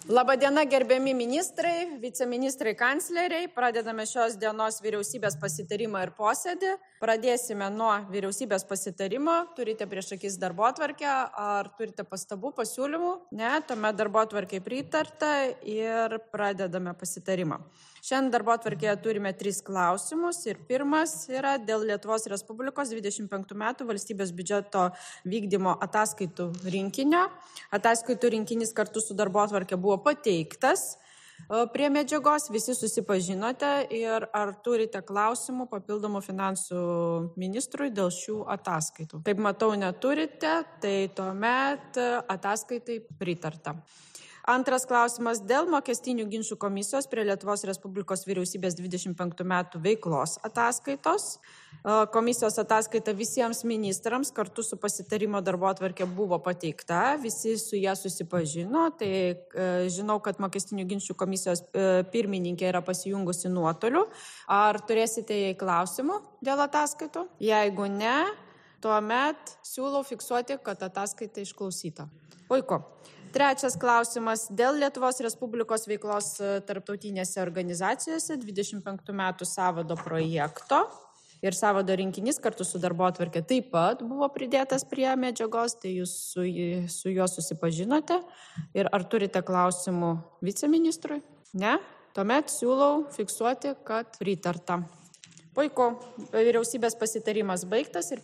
Labadiena, gerbiami ministrai, viceministrai, kancleriai. Pradedame šios dienos vyriausybės pasitarimą ir posėdį. Pradėsime nuo vyriausybės pasitarimo. Turite prieš akis darbotvarkę, ar turite pastabų, pasiūlymų? Ne, tuomet darbotvarkė pritarta ir pradedame pasitarimą. Šiandien darbotvarkėje turime 3 klausimus ir pirmas yra dėl Lietuvos Respublikos 25 metų valstybės biudžeto vykdymo ataskaitų rinkinio. Ataskaitų rinkinys kartu su darbotvarkė buvo pateiktas prie medžiagos, visi susipažinote ir ar turite klausimų papildomų finansų ministrui dėl šių ataskaitų. Kaip matau, neturite, tai tuomet ataskaitai pritarta. Antras klausimas dėl mokestinių ginčų komisijos prie Lietuvos Respublikos vyriausybės 25 metų veiklos ataskaitos. Komisijos ataskaita visiems ministrams kartu su pasitarimo darbotvarkė buvo pateikta, visi su ją susipažino, tai žinau, kad mokestinių ginčų komisijos pirmininkė yra pasijungusi nuotoliu. Ar turėsite jai klausimų dėl ataskaitų? Jeigu ne, tuomet siūlau fiksuoti, kad ataskaita išklausyta. Puiku. Trečias klausimas dėl Lietuvos Respublikos veiklos tarptautinėse organizacijose 25 metų sąvado projekto ir sąvado rinkinys kartu su darbotvarkė taip pat buvo pridėtas prie medžiagos, tai jūs su juo susipažinote. Ir ar turite klausimų viceministrui? Ne? Tuomet siūlau fiksuoti, kad pritarta. Puiku, vyriausybės pasitarimas baigtas ir